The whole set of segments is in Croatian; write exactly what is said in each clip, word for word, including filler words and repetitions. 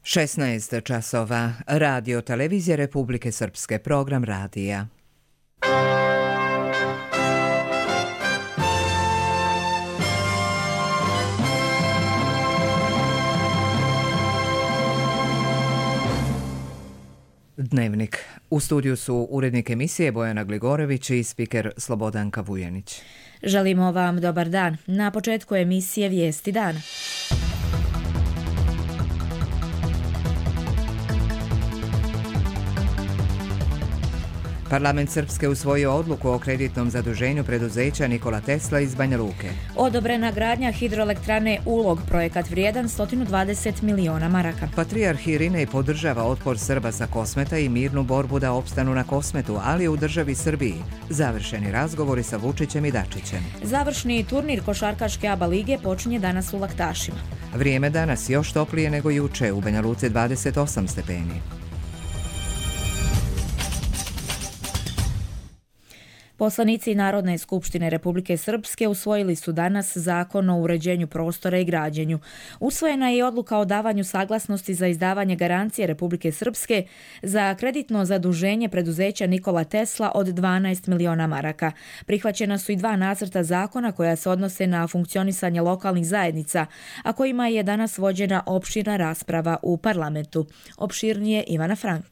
šesnaest časova. Radio Televizije Republike Srpske, program radija. Dnevnik. U studiju su urednik emisije Bojana Gligorević i spiker Slobodanka Vujanić. Želimo vam dobar dan. Na početku emisije Vijesti dana. Parlament Srpske usvojio odluku o kreditnom zaduženju preduzeća Nikola Tesla iz Banja Luke. Odobrena gradnja hidroelektrane Ulog, projekat vrijedan sto dvadeset miliona maraka. Patrijarh Irinej podržava otpor Srba sa Kosmeta i mirnu borbu da opstanu na Kosmetu, ali u državi Srbiji. Završeni razgovori sa Vučićem i Dačićem. Završni turnir košarkaške A B A lige počinje danas u Laktašima. Vrijeme danas još toplije nego juče, u Banja Luci dvadeset osam stepeni. Poslanici Narodne skupštine Republike Srpske usvojili su danas Zakon o uređenju prostora i građenju. Usvojena je i odluka o davanju saglasnosti za izdavanje garancije Republike Srpske za kreditno zaduženje preduzeća Nikola Tesla od dvanaest miliona maraka. Prihvaćena su i dva nacrta zakona koja se odnose na funkcionisanje lokalnih zajednica, a kojima je danas vođena opširna rasprava u parlamentu. Opširnije Ivana Frank.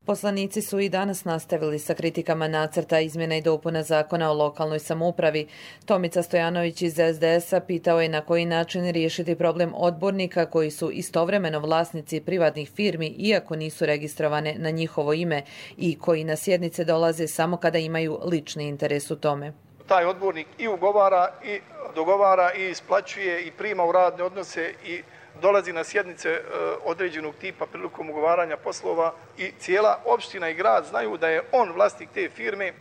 Poslanici su i danas nastavili sa kritikama nacrta izmjena i dopuna zakona o lokalnoj samoupravi. Tomica Stojanović iz es de es a pitao je na koji način riješiti problem odbornika koji su istovremeno vlasnici privatnih firmi iako nisu registrovane na njihovo ime i koji na sjednice dolaze samo kada imaju lični interes u tome. Taj odbornik i ugovara i dogovara i isplaćuje i prima u radne odnose i dolazi na sjednice e, određenog tipa prilikom ugovaranja poslova i cijela opština i grad znaju da je on vlasnik te firme. E,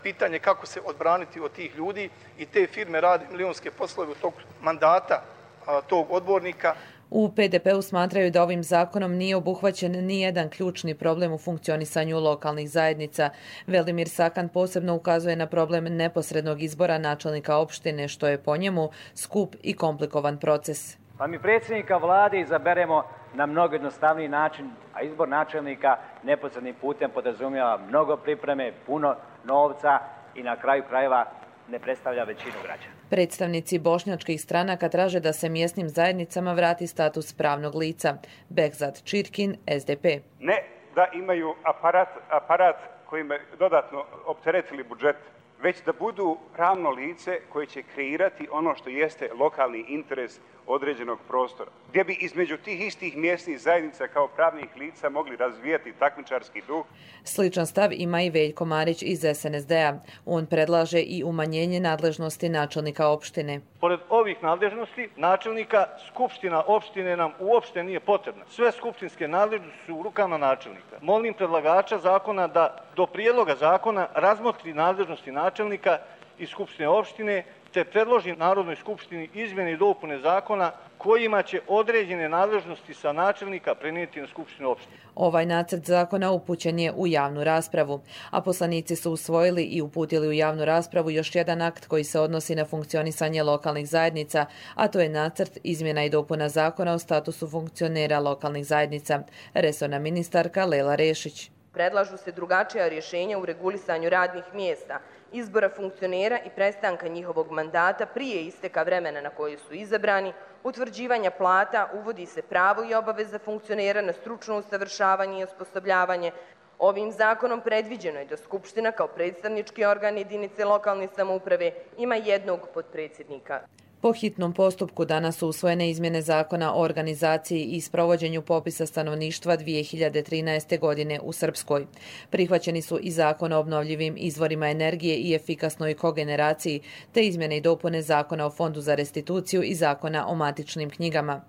pitanje kako se odbraniti od tih ljudi i te firme radi milionske poslove u tog mandata a, tog odbornika. U pe de pe-u smatraju da ovim zakonom nije obuhvaćen ni jedan ključni problem u funkcionisanju lokalnih zajednica. Velimir Sakan posebno ukazuje na problem neposrednog izbora načelnika opštine, što je po njemu skup i komplikovan proces. Pa mi predsjednika vlade izaberemo na mnogo jednostavniji način, a izbor načelnika neposrednim putem podrazumijeva mnogo pripreme, puno novca i na kraju krajeva ne predstavlja većinu građana. Predstavnici bošnjačkih stranaka traže da se mjesnim zajednicama vrati status pravnog lica. Bekzat Čirkin, es de pe. Ne da imaju aparat, aparat kojim je dodatno opteretili budžet, već da budu pravno lice koje će kreirati ono što jeste lokalni interes određenog prostora, gdje bi između tih istih mjesnih zajednica kao pravnih lica mogli razvijati takmičarski duh. Sličan stav ima i Veljko Marić iz es en es de-a. On predlaže i umanjenje nadležnosti načelnika opštine. Pored ovih nadležnosti načelnika, skupština opštine nam uopšte nije potrebna. Sve skupštinske nadležnosti su u rukama načelnika. Molim predlagača zakona da do prijedloga zakona razmotri nadležnosti načelnika i skupštine opštine te predloži Narodnoj skupštini izmjene i dopune zakona kojima će određene nadležnosti sa načelnika prenijeti na skupštinu opštine. Ovaj nacrt zakona upućen je u javnu raspravu, a poslanici su usvojili i uputili u javnu raspravu još jedan akt koji se odnosi na funkcionisanje lokalnih zajednica, a to je nacrt izmjena i dopuna zakona o statusu funkcionera lokalnih zajednica. Resorna ministarka Lela Rešić. Predlažu se drugačija rješenja u regulisanju radnih mjesta, izbora funkcionera i prestanka njihovog mandata prije isteka vremena na koje su izabrani, utvrđivanja plata, uvodi se pravo i obaveza funkcionera na stručno usavršavanje i osposobljavanje. Ovim zakonom predviđeno je da Skupština kao predstavnički organ jedinice lokalne samouprave ima jednog potpredsjednika. Po hitnom postupku danas su usvojene izmjene zakona o organizaciji i sprovođenju popisa stanovništva dvije hiljade trinaeste. godine u Srpskoj. Prihvaćeni su i zakon o obnovljivim izvorima energije i efikasnoj kogeneraciji, te izmjene i dopune zakona o fondu za restituciju i zakona o matičnim knjigama.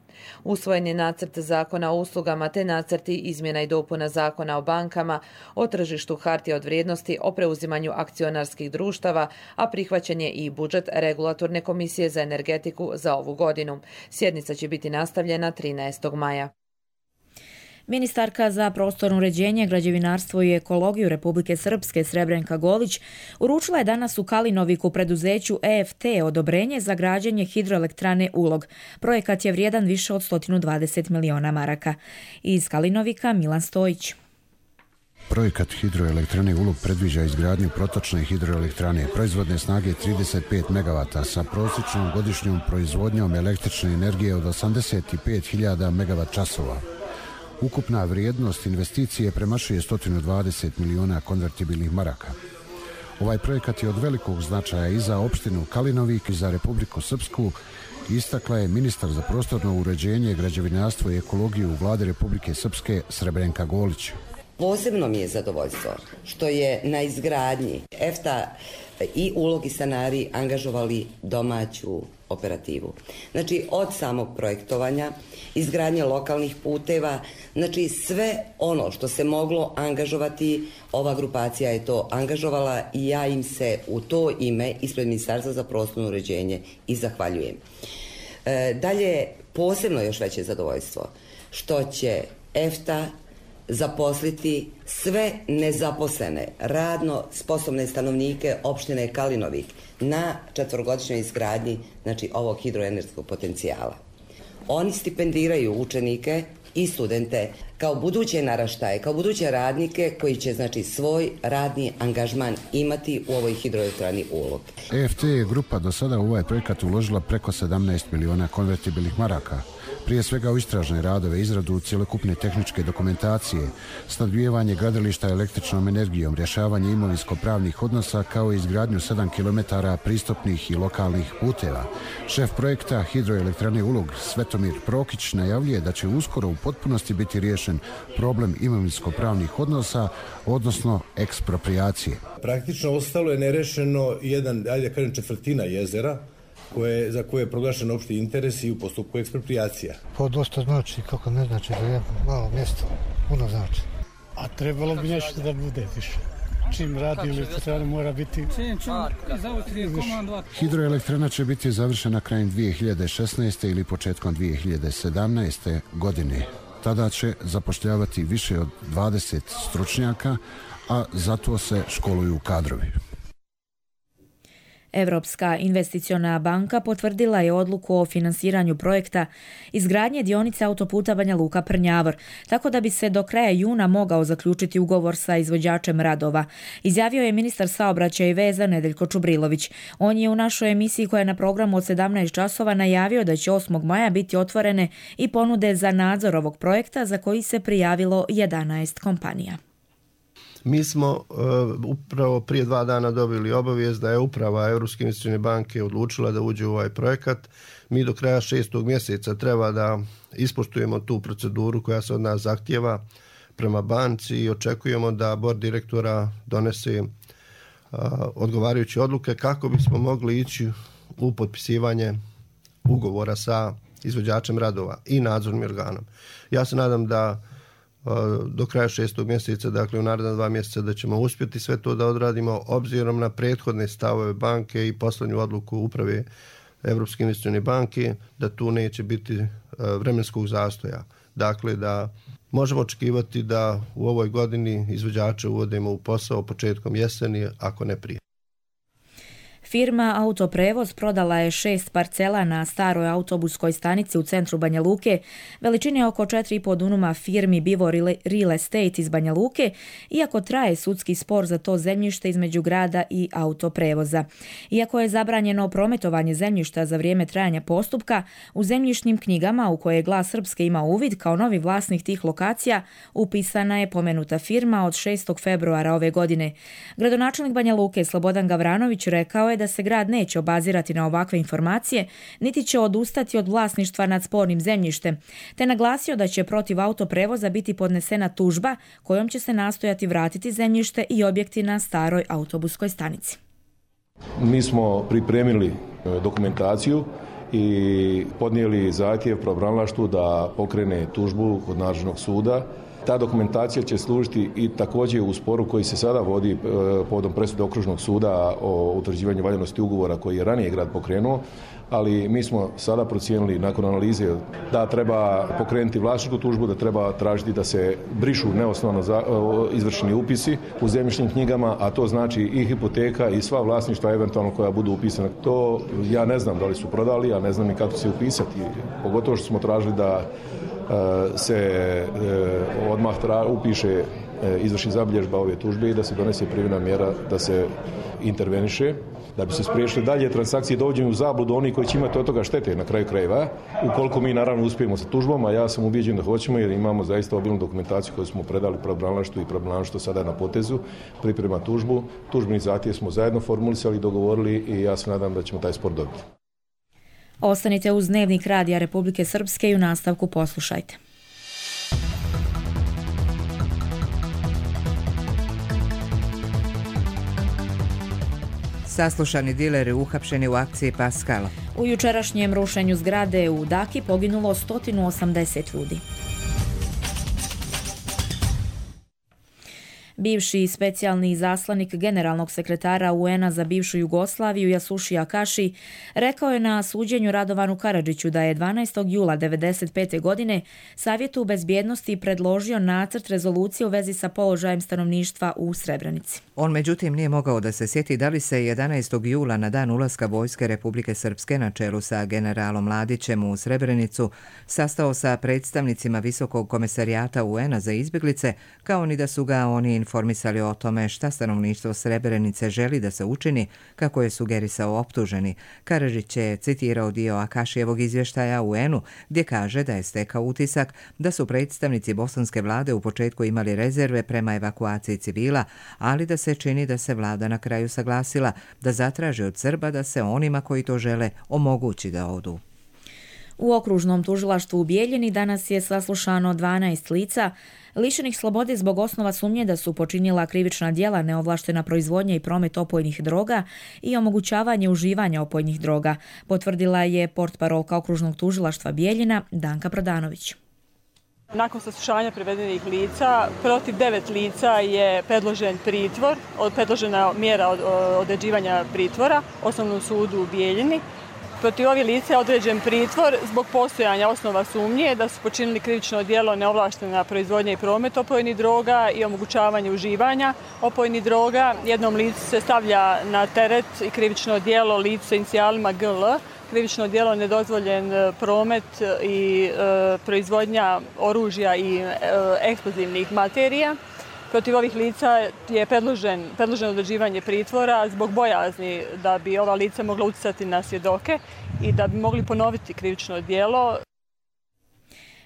Usvojen je nacrt zakona o uslugama te nacrti izmjena i dopuna zakona o bankama, o tržištu hartija od vrijednosti, o preuzimanju akcionarskih društava, a prihvaćen je i budžet Regulatorne komisije za energetiku za ovu godinu. Sjednica će biti nastavljena trinaestog maja. Ministarka za prostorno uređenje, građevinarstvo i ekologiju Republike Srpske Srebrenka Golić uručila je danas u Kalinoviku preduzeću E F T odobrenje za građenje hidroelektrane Ulog. Projekat je vrijedan više od sto dvadeset miliona maraka. Iz Kalinovika Milan Stojić. Projekat hidroelektrane Ulog predviđa izgradnju protočne hidroelektrane proizvodne snage trideset pet megavata sa prosječnom godišnjom proizvodnjom električne energije od osamdeset pet hiljada megavat časova. Ukupna vrijednost investicije premašuje sto dvadeset miliona konvertibilnih maraka. Ovaj projekat je od velikog značaja i za opštinu Kalinovik i za Republiku Srpsku, istakla je ministar za prostorno uređenje, građevinarstvo i ekologiju u Vlade Republike Srpske Srebrenka Golić. Posebno mi je zadovoljstvo što je na izgradnji E F T A i Ulog i stanari angažovali domaću operativu. Znači, od samog projektovanja, izgradnje lokalnih puteva, znači sve ono što se moglo angažovati, ova grupacija je to angažovala i ja im se u to ime ispred Ministarstva za prostorno uređenje i zahvaljujem. E, dalje, posebno još veće zadovoljstvo što će E F T A zaposliti sve nezaposlene, radno sposobne stanovnike opštine Kalinovik na četvorogodišnjoj izgradnji, znači, ovog hidroenergetskog potencijala. Oni stipendiraju učenike i studente kao buduće naraštaje, kao buduće radnike koji će, znači, svoj radni angažman imati u ovoj hidroelektrani Ulog. E F T je grupa do sada u ovaj projekat uložila preko sedamnaest miliona konvertibilnih maraka. Prije svega u istražne radove, izradu cjelokupne tehničke dokumentacije, snabdijevanje gradilišta električnom energijom, rješavanje imovinsko-pravnih odnosa kao i izgradnju sedam kilometara pristupnih i lokalnih puteva. Šef projekta hidroelektrane Ulog Svetomir Prokić najavljuje da će uskoro u potpunosti biti riješen problem imovinsko-pravnih odnosa, odnosno ekspropriacije. Praktično ostalo je nerešeno jedan, ajde da kažem, četvrtina jezera, Koje, za koje je proglašen opšti interes i u postupku ekspropriacija. To dosta znači, kako ne znači da je malo mjesto, puno znači. A trebalo bi nešto da bude više. Čim radi elektrana mora biti... Hidroelektrana će biti završena krajem dvije hiljade šesnaeste. ili početkom dvije hiljade sedamnaeste. godine. Tada će zapošljavati više od dvadeset stručnjaka, a zato se školuju kadrovi. Europska investiciona banka potvrdila je odluku o finansiranju projekta izgradnje dionice autoputa Banja Luka-Prnjavor, tako da bi se do kraja juna mogao zaključiti ugovor sa izvođačem radova. Izjavio je ministar saobraćaja i veza Nedeljko Čubrilović. On je u našoj emisiji koja je na programu od sedamnaest časova najavio da će osmog maja biti otvorene i ponude za nadzor ovog projekta za koji se prijavilo jedanaest kompanija. Mi smo uh, upravo prije dva dana dobili obavijest da je uprava Europske investicione banke odlučila da uđe u ovaj projekat. Mi do kraja šestog mjeseca treba da ispoštujemo tu proceduru koja se od nas zahtjeva prema banci i očekujemo da bord direktora donese uh, odgovarajuće odluke kako bismo mogli ići u potpisivanje ugovora sa izvođačem radova i nadzornim organom. Ja se nadam da do kraja šestog mjeseca, dakle u naredna dva mjeseca, da ćemo uspjeti sve to da odradimo obzirom na prethodne stavove banke i posljednju odluku uprave Europske investicione banke da tu neće biti vremenskog zastoja. Dakle, da možemo očekivati da u ovoj godini izvođače uvodimo u posao početkom jeseni, ako ne prije. Firma Autoprevoz prodala je šest parcela na staroj autobuskoj stanici u centru Banja Luke, veličine oko četiri i po dunuma firmi Bivo Real Estate iz Banja Luke, iako traje sudski spor za to zemljište između grada i Autoprevoza. Iako je zabranjeno prometovanje zemljišta za vrijeme trajanja postupka, u zemljišnim knjigama u koje Glas Srpske ima uvid kao novi vlasnik tih lokacija, upisana je pomenuta firma od šestog februara ove godine. Gradonačelnik Banja Luke Slobodan Gavranović rekao je da se grad neće obazirati na ovakve informacije, niti će odustati od vlasništva nad spornim zemljištem, te naglasio da će protiv Autoprevoza biti podnesena tužba kojom će se nastojati vratiti zemljište i objekti na staroj autobuskoj stanici. Mi smo pripremili dokumentaciju i podnijeli zahtjev pravobranilaštvu da pokrene tužbu kod nadležnog suda Ta dokumentacija će služiti i također u sporu koji se sada vodi povodom presude Okružnog suda o utvrđivanju valjanosti ugovora koji je ranije grad pokrenuo, ali mi smo sada procijenili nakon analize da treba pokrenuti vlasničku tužbu, da treba tražiti da se brišu neosnovno izvršeni upisi u zemljišnim knjigama, a to znači i hipoteka i sva vlasništva eventualno koja budu upisana. To ja ne znam da li su prodali, a ne znam i kako se upisati. Pogotovo što smo tražili da se odmah upiše izvrši zabilježba ove tužbe i da se donese privremena mjera da se interveniše, da bi se spriječili dalje transakcije dovođenju u zabludu oni koji će imati od toga štete na kraju krajeva, ukoliko mi naravno uspijemo sa tužbom, a ja sam ubijeđen da hoćemo jer imamo zaista obilnu dokumentaciju koju smo predali pravobranilaštvu i pravobranilaštvo sada na potezu, priprema tužbu. Tužbeni zahtjev smo zajedno formulisali, dogovorili i ja se nadam da ćemo taj spor dobiti. Ostanite uz Dnevnik Radija Republike Srpske i u nastavku poslušajte. Saslušani dileri uhapšeni u akciji Paskal. U jučerašnjem rušenju zgrade u Daki poginulo sto osamdeset ljudi. Bivši specijalni izaslanik generalnog sekretara U N-a za bivšu Jugoslaviju Jasuši Akaši rekao je na suđenju Radovanu Karadžiću da je dvanaestog jula devedeset pete. godine Savjetu bezbjednosti predložio nacrt rezolucije u vezi sa položajem stanovništva u Srebrenici. On međutim nije mogao da se sjeti da li se jedanaestog jula na dan ulaska vojske Republike Srpske na čelu sa generalom Mladićem u Srebrenicu sastao sa predstavnicima Visokog komesarijata U N-a za izbjeglice, kao ni da su ga oni informisali o tome šta stanovništvo Srebrenice želi da se učini, kako je sugerisao optuženi. Karadžić je citirao dio Akašijevog izvještaja U N-u gdje kaže da je stekao utisak da su predstavnici bosanske vlade u početku imali rezerve prema evakuaciji civila, ali da se čini da se vlada na kraju saglasila da zatraži od Srba da se onima koji to žele omogući da odu. U okružnom tužilaštvu u Bijeljini danas je saslušano dvanaest lica lišenih slobode zbog osnova sumnje da su počinila krivična djela neovlaštena proizvodnja i promet opojnih droga i omogućavanje uživanja opojnih droga, potvrdila je portparolka okružnog tužilaštva Bijeljina Danka Prodanović. Nakon saslušanja privedenih lica, protiv devet lica je predložen pritvor, predložena mjera određivanja pritvora Osnovnom sudu u Bijeljini. Protiv ovih lica je određen pritvor zbog postojanja osnova sumnje da su počinili krivično djelo neovlaštena proizvodnja i promet opojnih droga i omogućavanje uživanja opojnih droga. Jednom licu se stavlja na teret i krivično djelo lice sa inicijalima G L, krivično djelo nedozvoljen promet i e, proizvodnja oružja i e, eksplozivnih materija. Protiv ovih lica je predložen, predloženo određivanje pritvora zbog bojazni da bi ova lica mogla utjecati na svjedoke i da bi mogli ponoviti krivično djelo.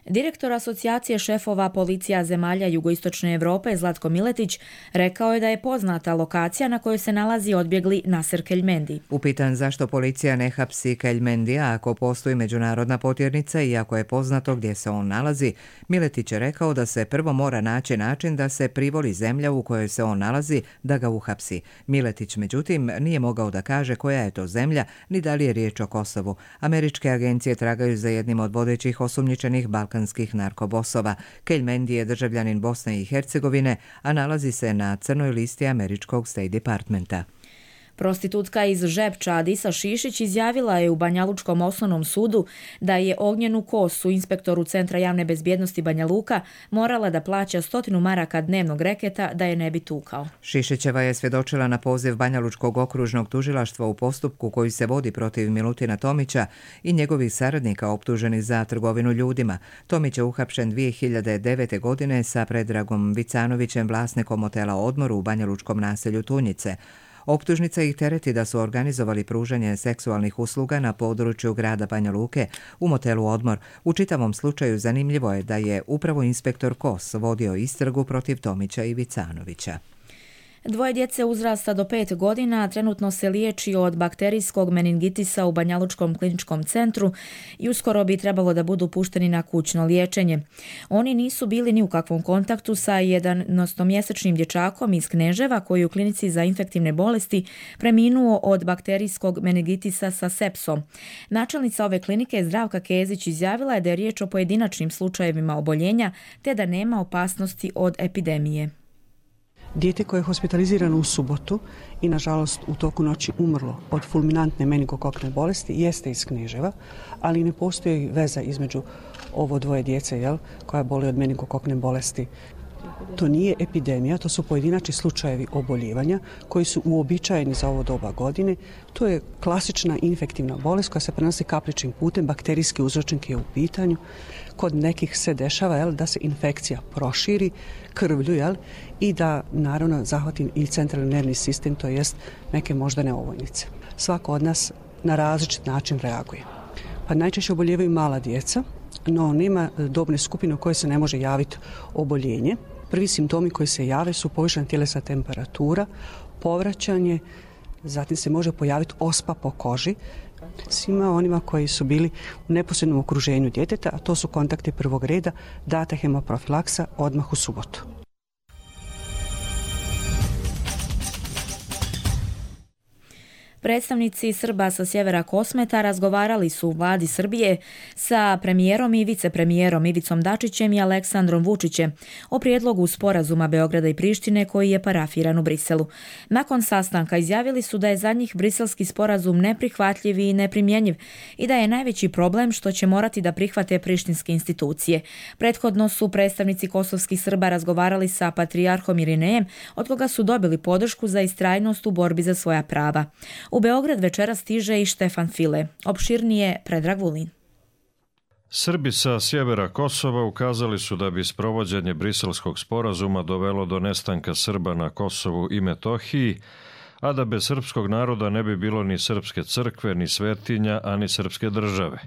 Direktor Asocijacije šefova policija zemalja jugoistočne Europe Zlatko Miletić rekao je da je poznata lokacija na kojoj se nalazi odbjegli Naser Keljmendi. Upitan zašto policija ne hapsi Keljmendija ako postoji međunarodna potjernica i ako je poznato gdje se on nalazi, Miletić je rekao da se prvo mora naći način da se privoli zemlja u kojoj se on nalazi da ga uhapsi. Miletić međutim nije mogao da kaže koja je to zemlja ni da li je riječ o Kosovu. Američke agencije tragaju za jednim od vodećih osumnjičenih balkanskih narkobosova. Keljmendi je državljanin Bosne i Hercegovine, a nalazi se na crnoj listi američkog State Departmenta. Prostitutka iz Žepča Adisa Šišić izjavila je u Banjalučkom osnovnom sudu da je Ognjenu Kosu, inspektoru Centra javne bezbjednosti Banja Luka, morala da plaća stotinu maraka dnevnog reketa da je ne bi tukao. Šišićeva je svjedočila na poziv Banjalučkog okružnog tužilaštva u postupku koji se vodi protiv Milutina Tomića i njegovih saradnika optuženih za trgovinu ljudima. Tomić je uhapšen dvije hiljade devete. godine sa Predragom Vicanovićem, vlasnikom hotela Odmor u banjalučkom naselju Tunjice. Optužnica ih tereti da su organizovali pružanje seksualnih usluga na području grada Banja Luke u motelu Odmor. U čitavom slučaju zanimljivo je da je upravo inspektor Kos vodio istragu protiv Tomića i Vicanovića. Dvoje djece uzrasta do pet godina trenutno se liječi od bakterijskog meningitisa u Banjalučkom kliničkom centru i uskoro bi trebalo da budu pušteni na kućno liječenje. Oni nisu bili ni u kakvom kontaktu sa jedanaestomjesečnim dječakom iz Kneževa koji u klinici za infektivne bolesti preminuo od bakterijskog meningitisa sa sepsom. Načelnica ove klinike Zdravka Kezić izjavila je da je riječ o pojedinačnim slučajevima oboljenja te da nema opasnosti od epidemije. Dijete koje je hospitalizirano u subotu i nažalost u toku noći umrlo od fulminantne meningokokne bolesti jeste iz Kneževa, ali ne postoji veza između ovo dvoje djece jel, koja boli od meningokokne bolesti. To nije epidemija, to su pojedinačni slučajevi oboljevanja koji su uobičajeni za ovo doba godine. To je klasična infektivna bolest koja se prenosi kapličnim putem, bakterijski uzročnik je u pitanju. Kod nekih se dešava jel, da se infekcija proširi krvlju jel, i da naravno zahvati i centralni nervni sistem, to jest neke moždane ovojnice. Svako od nas na različit način reaguje. Pa najčešće oboljevaju mala djeca, no nema dobne skupine u kojoj se ne može javiti oboljenje. Prvi simptomi koji se jave su povišena tjelesna temperatura, povraćanje, zatim se može pojaviti ospa po koži. Svima onima koji su bili u neposrednom okruženju djeteta, a to su kontakti prvog reda, data hemoprofilaksa odmah u subotu. Predstavnici Srba sa sjevera Kosmeta razgovarali su u vladi Srbije sa premijerom i vicepremijerom Ivicom Dačićem i Aleksandrom Vučićem o prijedlogu sporazuma Beograda i Prištine koji je parafiran u Briselu. Nakon sastanka izjavili su da je za njih briselski sporazum neprihvatljiv i neprimjenjiv i da je najveći problem što će morati da prihvate prištinske institucije. Prethodno su predstavnici kosovskih Srba razgovarali sa patrijarhom Irinejem, od koga su dobili podršku za istrajnost u borbi za svoja prava. U Beograd večera stiže i Štefan File. Opširnije Predrag Vulin. Srbi sa sjevera Kosova ukazali su da bi sprovođenje briselskog sporazuma dovelo do nestanka Srba na Kosovu i Metohiji, a da bez srpskog naroda ne bi bilo ni srpske crkve, ni svetinja, a ni srpske države.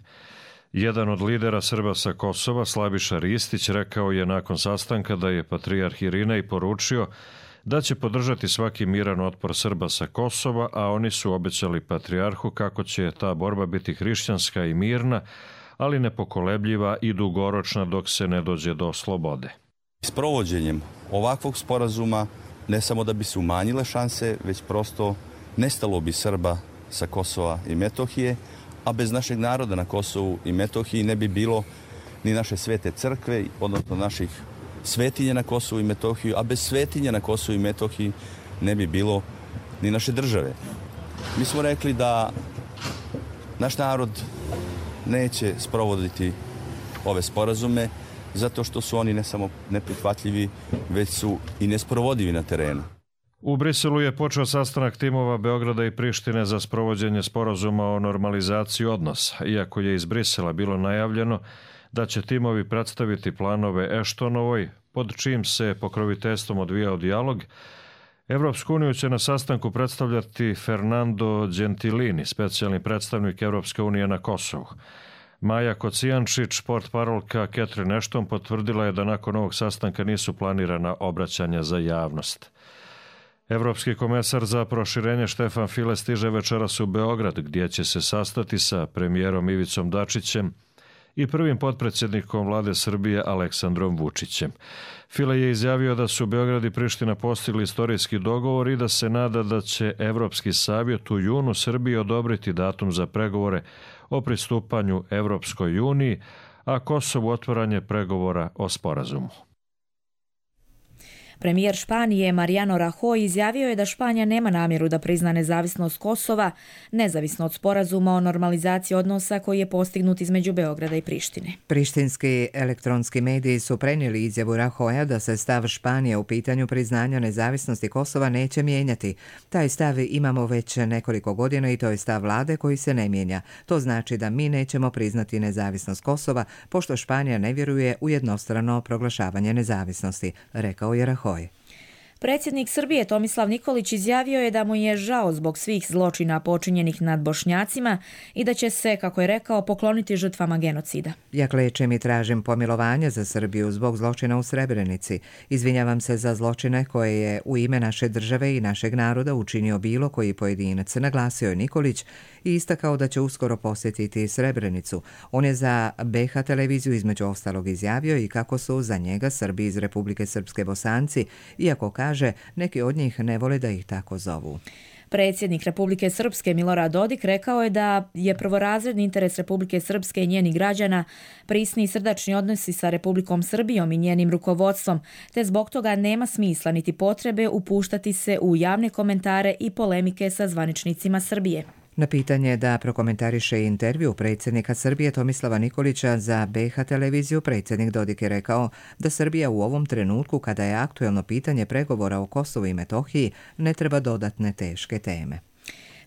Jedan od lidera Srba sa Kosova, Slaviša Ristić, rekao je nakon sastanka da je patrijarh Irinej poručio da će podržati svaki miran otpor Srba sa Kosova, a oni su obećali patrijarhu kako će ta borba biti hrišćanska i mirna, ali nepokolebljiva i dugoročna dok se ne dođe do slobode. S provođenjem ovakvog sporazuma ne samo da bi se umanjile šanse, već prosto nestalo bi Srba sa Kosova i Metohije, a bez našeg naroda na Kosovu i Metohiji ne bi bilo ni naše svete crkve, odnosno naših svetinje na Kosovu i Metohiju, a bez svetinja na Kosovu i Metohiji ne bi bilo ni naše države. Mi smo rekli da naš narod neće sprovoditi ove sporazume zato što su oni ne samo neprihvatljivi, već su i nesprovodivi na terenu. U Briselu je počeo sastanak timova Beograda i Prištine za sprovođenje sporazuma o normalizaciji odnosa, iako je iz Brisela bilo najavljeno da će timovi predstaviti planove Eštonovoj, pod čijim se pokroviteljstvom odvijao dijalog. Evropsku uniju će na sastanku predstavljati Fernando Gentilini, specijalni predstavnik Evropske unije na Kosovu. Maja Kocijančić, portparolka Catherine Ashton, potvrdila je da nakon ovog sastanka nisu planirana obraćanja za javnost. Evropski komesar za proširenje Štefan File stiže večeras u Beograd, gdje će se sastati sa premijerom Ivicom Dačićem i prvim potpredsjednikom vlade Srbije Aleksandrom Vučićem. File je izjavio da su Beograd i Priština postigli istorijski dogovor i da se nada da će Evropski savjet u junu Srbiji odobriti datum za pregovore o pristupanju Evropskoj uniji, a Kosovu otvaranje pregovora o sporazumu. Premijer Španije Mariano Rajoy izjavio je da Španija nema namjeru da prizna nezavisnost Kosova, nezavisno od sporazuma o normalizaciji odnosa koji je postignut između Beograda i Prištine. Prištinski elektronski mediji su prenijeli izjavu Rajoya da se stav Španije u pitanju priznanja nezavisnosti Kosova neće mijenjati. Taj stav imamo već nekoliko godina i to je stav vlade koji se ne mijenja. To znači da mi nećemo priznati nezavisnost Kosova, pošto Španija ne vjeruje u jednostrano proglašavanje nezavisnosti, rekao je Rajoy. Predsjednik Srbije Tomislav Nikolić izjavio je da mu je žao zbog svih zločina počinjenih nad Bošnjacima i da će se, kako je rekao, pokloniti žrtvama genocida. Ja klečem i tražim pomilovanje za Srbiju zbog zločina u Srebrenici. Izvinjavam se za zločine koje je u ime naše države i našeg naroda učinio bilo koji pojedinac, naglasio je Nikolić i istakao da će uskoro posjetiti Srebrenicu. On je za B H televiziju između ostalog izjavio i kako su za njega Srbi iz Republike Srpske Bosanci, iako kaže neki od njih ne vole da ih tako zovu. Predsjednik Republike Srpske Milorad Dodik rekao je da je prvorazredni interes Republike Srpske i njenih građana prisni i srdačni odnosi sa Republikom Srbijom i njenim rukovodstvom, te zbog toga nema smisla niti potrebe upuštati se u javne komentare i polemike sa zvaničnicima Srbije. Na pitanje da prokomentariše intervju predsjednika Srbije Tomislava Nikolića za B H televiziju, predsjednik Dodik je rekao da Srbija u ovom trenutku, kada je aktuelno pitanje pregovora o Kosovu i Metohiji, ne treba dodatne teške teme.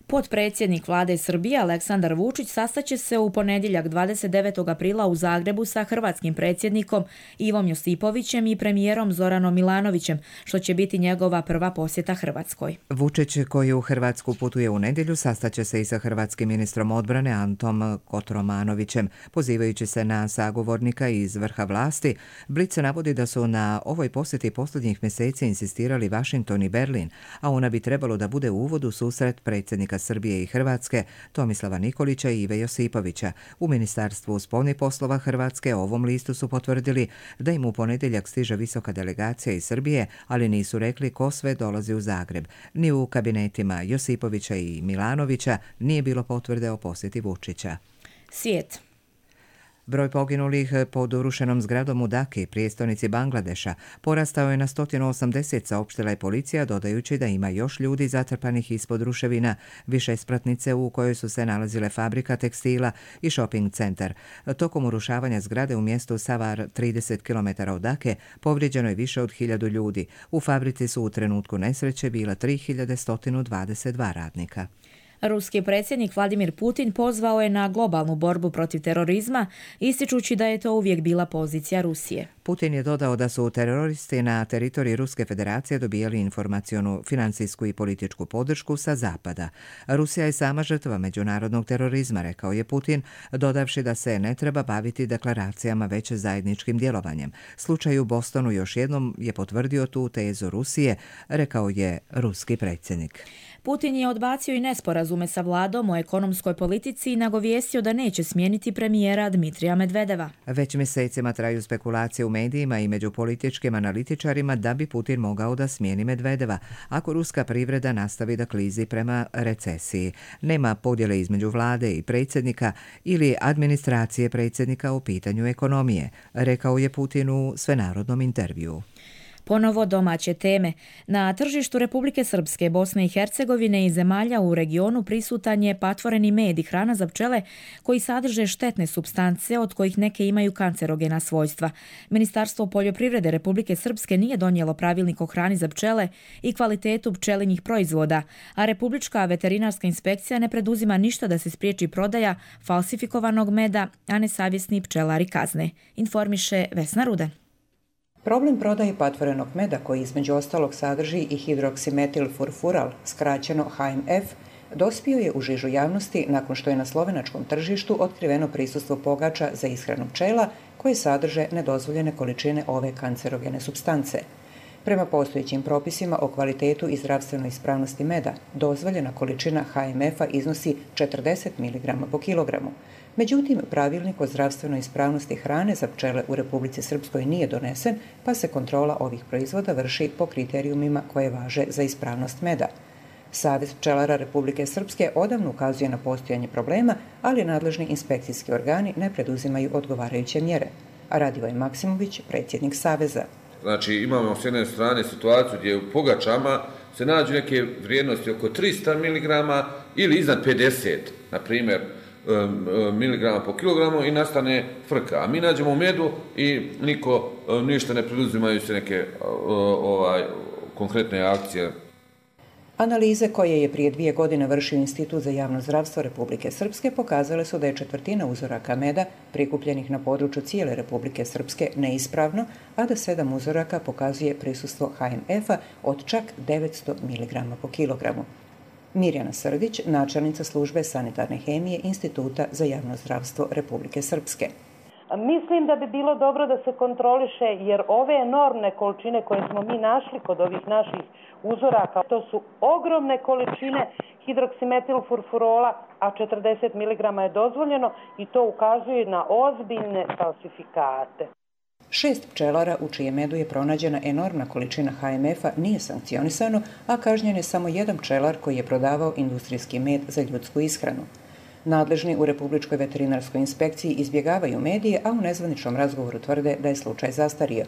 Potpredsjednik vlade Srbije Aleksandar Vučić sastaće se u ponedjeljak dvadeset devetog aprila u Zagrebu sa hrvatskim predsjednikom Ivom Josipovićem i premijerom Zoranom Milanovićem, što će biti njegova prva posjeta Hrvatskoj. Vučić, koji u Hrvatsku putuje u nedjelju, sastaće se i sa hrvatskim ministrom odbrane Antom Kotromanovićem. Pozivajući se na sagovornika iz vrha vlasti, Blic navodi da su na ovoj posjeti posljednjih mjeseci insistirali Washington i Berlin, a ona bi trebalo da bude uvod u susret predsjednika Srbije i Hrvatske Tomislava Nikolića i Ive Josipovića. U Ministarstvu spoljnih poslova Hrvatske ovom listu su potvrdili da im u ponedjeljak stiže visoka delegacija iz Srbije, ali nisu rekli ko sve dolazi u Zagreb. Ni u kabinetima Josipovića i Milanovića nije bilo potvrde o posjeti Vučića. Svijet. Broj poginulih pod urušenom zgradom u Daki, prijestolnici Bangladeša, porastao je na sto osamdeset, saopštila je policija, dodajući da ima još ljudi zatrpanih ispod ruševina, više spratnice u kojoj su se nalazile fabrika tekstila i shopping centar. Tokom urušavanja zgrade u mjestu Savar, trideset kilometara od Dake, povrijeđeno je više od hiljadu ljudi. U fabrici su u trenutku nesreće bila tri hiljade sto dvadeset dva radnika. Ruski predsjednik Vladimir Putin pozvao je na globalnu borbu protiv terorizma, ističući da je to uvijek bila pozicija Rusije. Putin je dodao da su teroristi na teritoriji Ruske federacije dobijali informacionu, financijsku i političku podršku sa zapada. Rusija je sama žrtva međunarodnog terorizma, rekao je Putin, dodavši da se ne treba baviti deklaracijama već zajedničkim djelovanjem. Slučaj u Bostonu još jednom je potvrdio tu tezu Rusije, rekao je ruski predsjednik. Putin je odbacio i nesporazume sa vladom o ekonomskoj politici i nagovijestio da neće smijeniti premijera Dmitrija Medvedeva. Već mjesecima traju spekulacije u medijima i među političkim analitičarima da bi Putin mogao da smijeni Medvedeva ako ruska privreda nastavi da klizi prema recesiji. Nema podjele između vlade i predsjednika ili administracije predsjednika o pitanju ekonomije, rekao je Putin u svenarodnom intervjuu. Ponovo domaće teme. Na tržištu Republike Srpske, Bosne i Hercegovine i zemalja u regionu prisutan je patvoreni med i hrana za pčele koji sadrže štetne supstance od kojih neke imaju kancerogena svojstva. Ministarstvo poljoprivrede Republike Srpske nije donijelo pravilnik o hrani za pčele i kvalitetu pčelinjih proizvoda, a Republička veterinarska inspekcija ne preduzima ništa da se spriječi prodaja falsifikovanog meda, a nesavjesni pčelari kazne, informiše Vesna Rudan. Problem prodaje patvorenog meda, koji između ostalog sadrži i hidroksimetilfurfural, skraćeno H M F, dospio je u žižu javnosti nakon što je na slovenačkom tržištu otkriveno prisustvo pogača za ishranu pčela koje sadrže nedozvoljene količine ove kancerogene supstance. Prema postojećim propisima o kvalitetu i zdravstvenoj ispravnosti meda, dozvoljena količina H M F-a iznosi četrdeset miligrama po kilogramu. Međutim, pravilnik o zdravstvenoj ispravnosti hrane za pčele u Republici Srpskoj nije donesen, pa se kontrola ovih proizvoda vrši po kriterijumima koje važe za ispravnost meda. Savez pčelara Republike Srpske odavno ukazuje na postojanje problema, ali nadležni inspekcijski organi ne preduzimaju odgovarajuće mjere. A Radivoj Maksimović, predsjednik Saveza. Znači, imamo s jedne strane situaciju gdje u pogačama se nađu neke vrijednosti oko tristo miligrama ili iznad pedeset, na primjer, miligrama po kilogramu i nastane frka. A mi nađemo u medu i niko, ništa ne preduzimaju se neke ovaj, konkretne akcije. Analize koje je prije dvije godine vršio Institut za javno zdravstvo Republike Srpske pokazale su da je četvrtina uzoraka meda prikupljenih na području cijele Republike Srpske neispravno, a da sedam uzoraka pokazuje prisustvo H M F-a od čak devetsto miligrama po kilogramu. Mirjana Srdić, načelnica službe sanitarne hemije Instituta za javno zdravstvo Republike Srpske. Mislim da bi bilo dobro da se kontroliše, jer ove enormne količine koje smo mi našli kod ovih naših uzoraka, to su ogromne količine hidroksimetilfurfurola, a četrdeset miligrama je dozvoljeno i to ukazuje na ozbiljne falsifikate. Šest pčelara u čijem medu je pronađena enormna količina H M F-a nije sankcionisano, a kažnjen je samo jedan pčelar koji je prodavao industrijski med za ljudsku ishranu. Nadležni u Republičkoj veterinarskoj inspekciji izbjegavaju medije, a u nezvaničnom razgovoru tvrde da je slučaj zastario.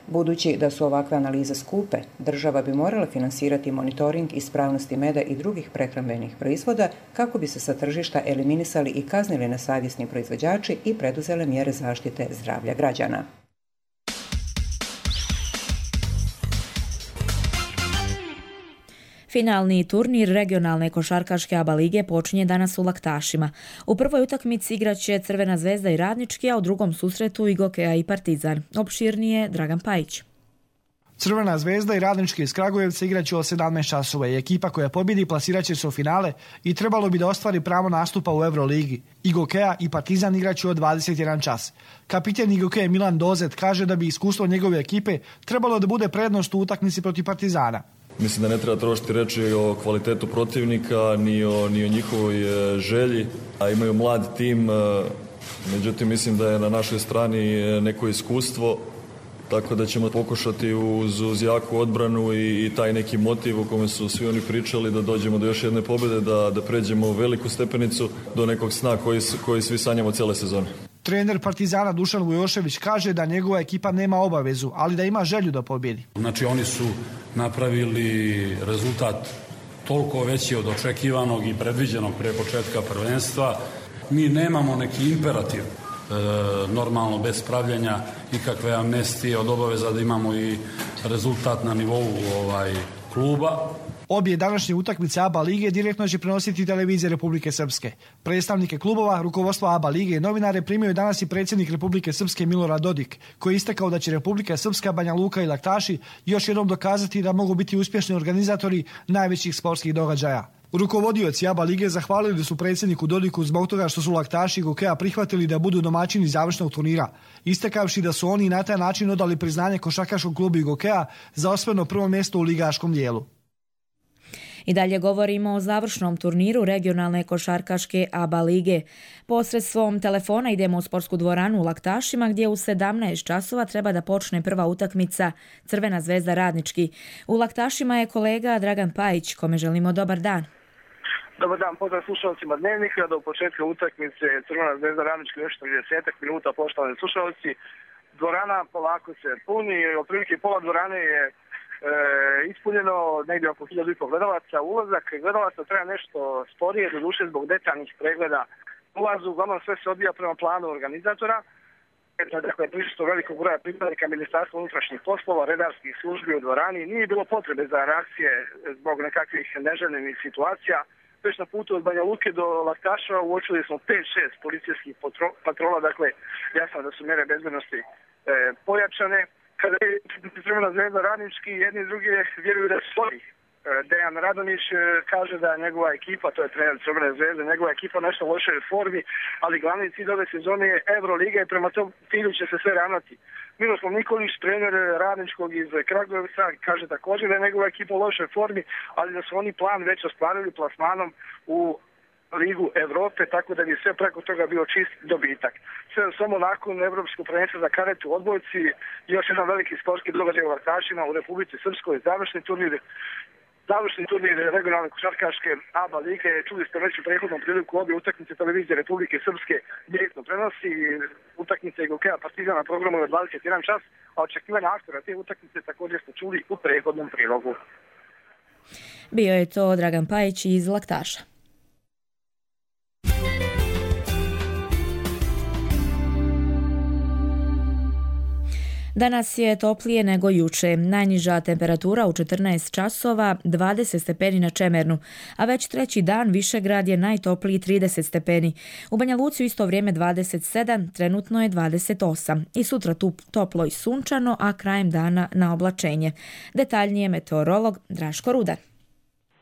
Budući da su ovakve analize skupe, država bi morala finansirati monitoring ispravnosti meda i drugih prehrambenih proizvoda kako bi se sa tržišta eliminisali i kaznili nesavjesni proizvođači i preduzele mjere zaštite zdravlja građana. Finalni turnir regionalne košarkaške A B A lige počinje danas u Laktašima. U prvoj utakmici igraće Crvena zvezda i Radnički, a u drugom susretu i Gokea i Partizan. Opširnije Dragan Pajić. Crvena zvezda i Radnički iz Kragujevca igraće od sedamnaest časova i ekipa koja pobjedi plasiraće se u finale i trebalo bi da ostvari pravo nastupa u Euroligi. I Gokea i Partizan igraće od dvadeset jedan čas. Kapiten i Gokea Milan Dozet kaže da bi iskustvo njegove ekipe trebalo da bude prednost u utakmici protiv Partizana. Mislim da ne treba trošiti reći o kvalitetu protivnika, ni o, ni o njihovoj želji. A imaju mlad tim, međutim mislim da je na našoj strani neko iskustvo, tako da ćemo pokušati uz, uz jaku odbranu i, i taj neki motiv o kome su svi oni pričali da dođemo do još jedne pobjede, da, da pređemo veliku stepenicu do nekog sna koji, koji svi sanjamo cijele sezone. Trener Partizana Dušan Vujošević kaže da njegova ekipa nema obavezu, ali da ima želju da pobjedi. Znači oni su napravili rezultat toliko veći od očekivanog i predviđenog pre početka prvenstva. Mi nemamo neki imperativ, e, normalno bez pravljenja ikakve amnestije od obaveza da imamo i rezultat na nivou ovaj, kluba. Obje današnje utakmice A B A lige direktno će prenositi televizije Republike Srpske. Predstavnike klubova, rukovodstva A B A lige i novinare primio je danas i predsjednik Republike Srpske Milorad Dodik, koji je istakao da će Republika Srpska, Banja Luka i Laktaši još jednom dokazati da mogu biti uspješni organizatori najvećih sportskih događaja. Rukovodioci A B A lige zahvalili su predsjedniku Dodiku zbog toga što su Laktaši i Gokea prihvatili da budu domaćini završnog turnira, istakavši da su oni na taj način odali priznanje košarkaškom klubu i Gokea za osvojeno prvo mjesto u ligaškom dijelu. I dalje govorimo o završnom turniru regionalne košarkaške A B A lige. Posredstvom telefona idemo u sportsku dvoranu u Laktašima gdje u sedamnaest časova treba da počne prva utakmica Crvena zvezda Radnički. U Laktašima je kolega Dragan Pajić, kome želimo dobar dan. Dobar dan, pozdrav slušalcima Dnevnika. Do početka utakmice Crvena zvezda Radnički još trideset minuta, poštovani slušalci. Dvorana polako se puni, otprilike pola dvorane je E, ispunjeno negdje oko hiljadu i pol gledalaca. Ulazak gledalaca treba nešto sporije, doduše zbog detaljnih pregleda ulazu. Uglavnom sve se odvija prema planu organizatora. Dakle, prisustvo velikog broja pripadnika Ministarstva unutrašnjih poslova, redarskih službi u dvorani. Nije bilo potrebe za reakcije zbog nekakvih neželjenih situacija. Već na putu od Banja Luke do Laktaša uočili smo pet šest policijskih patrola. Dakle, jasno da su mjere bezbednosti e, pojačane. Kada je Crvena zvezda Radnički, jedni i drugi vjeruju da svoji. Dejan Radonić kaže da njegova ekipa, to je trener Crvene zvezde, njegova ekipa nešto u lošoj formi, ali glavni cilj ove sezone je Euroliga i prema tom cilju će se sve ravnati. Miroslav Nikolić, trener Radničkog iz Kragujevca, kaže također da je njegova ekipa u lošoj formi, ali da su oni plan već ostvarili plasmanom u Ligu Evrope, tako da bi sve preko toga bio čist dobitak. Sve samo nakon Evropskog prvenstva za karet u odbojci, još jedan veliki sportski događaj u Laktašima u Republici Srpskoj, završni turnir, završni turnir regionalne košarkaške A B A lige. Čuli ste već u prethodnom priliku obje utakmice televizije Republike Srpske direktno prenosi. Utakmice i Gokea Partizana na programu je dvadeset jedan čas, a očekivanja aktora te utakmice također ste čuli u prethodnom prilogu. Bio je to Dragan Pajić iz Laktaša. Danas je toplije nego juče. Najniža temperatura u četrnaest časova, dvadeset stepeni na Čemernu, a već treći dan Višegrad je najtopliji trideset stepeni. U Banja Luci u isto vrijeme dvadeset sedam, trenutno je dvadeset osam. I sutra tu toplo i sunčano, a krajem dana na oblačenje. Detaljnije meteorolog Draško Rudar.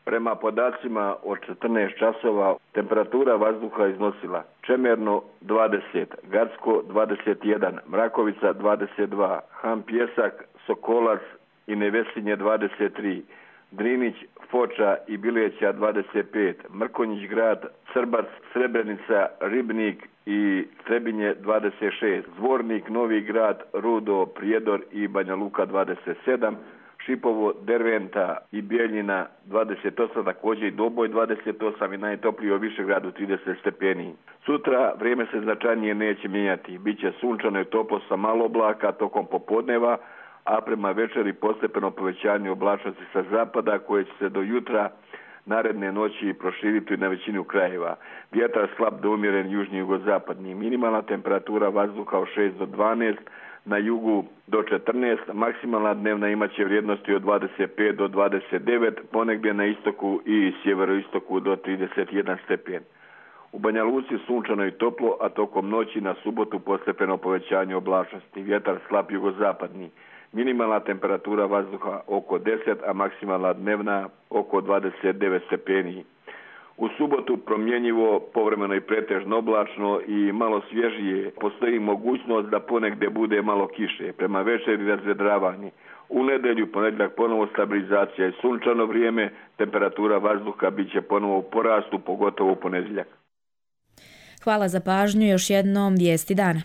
Prema podacima od četrnaest časova temperatura vazduha iznosila Čemerno dvadeset, Gacko dvadeset jedan, Mrakovica dvadeset dva, Han Pjesak, Sokolac i Nevesinje dvadeset tri, Drinić, Foča i Bileća dvadeset pet, Mrkonjić grad, Crbac, Srebrenica, Ribnik i Trebinje dvadeset šest, Zvornik, Novi grad, Rudo, Prijedor i Banja Luka dvadeset sedam, Šipovo, Derventa i Bijeljina dvadeset osam, također i Doboj dvadeset osam i najtopliji u Višegradu trideset stepeni. Sutra vrijeme se značajnije neće mijenjati. Biće sunčano i toplo sa malo oblaka tokom popodneva, a prema večeri postepeno povećanje oblačnosti sa zapada koje će se do jutra naredne noći proširiti na većinu krajeva. Vjetar slab do umjeren južni jugozapadni. Minimalna temperatura vazduha od šest do dvanaest, na jugu do četrnaest, maksimalna dnevna imaće vrijednosti od dvadeset pet do dvadeset devet, ponegdje na istoku i sjeveroistoku do trideset jedan stepen. U Banja Luci sunčano i toplo, a tokom noći na subotu postepeno povećanje oblačnosti. Vjetar slab jugozapadni. Minimalna temperatura vazduha oko deset, a maksimalna dnevna oko dvadeset devet stepeni. U subotu promjenjivo, povremeno i pretežno oblačno i malo svježije. Postoji mogućnost da ponegdje bude malo kiše. Prema večeri razvedravanje. U nedjelju, ponedjeljak ponovo stabilizacija i sunčano vrijeme, temperatura vazduha bit će ponovo u porastu, pogotovo u ponedjeljak. Hvala za pažnju, još jednom vijesti dana.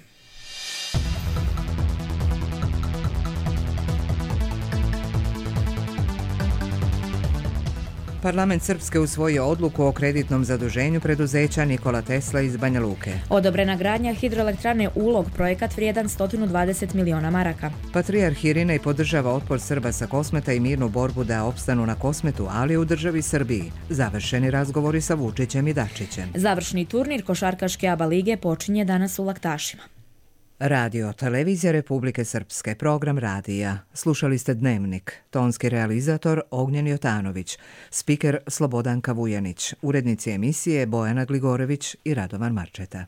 Parlament Srpske usvojio odluku o kreditnom zaduženju preduzeća Nikola Tesla iz Banja Luke. Odobrena gradnja hidroelektrane Ulog, projekat vrijedan sto dvadeset miliona maraka. Patrijarh Irinej podržava otpor Srba sa Kosmeta i mirnu borbu da opstanu na Kosmetu, ali u državi Srbiji. Završeni razgovori sa Vučićem i Dačićem. Završni turnir košarkaške ABA lige počinje danas u Laktašima. Radio Televizija Republike Srpske, program radija. Slušali ste Dnevnik. Tonski realizator Ognjen Jotanović, spiker Slobodanka Vujanić, urednici emisije Bojana Gligorević i Radovan Marčeta.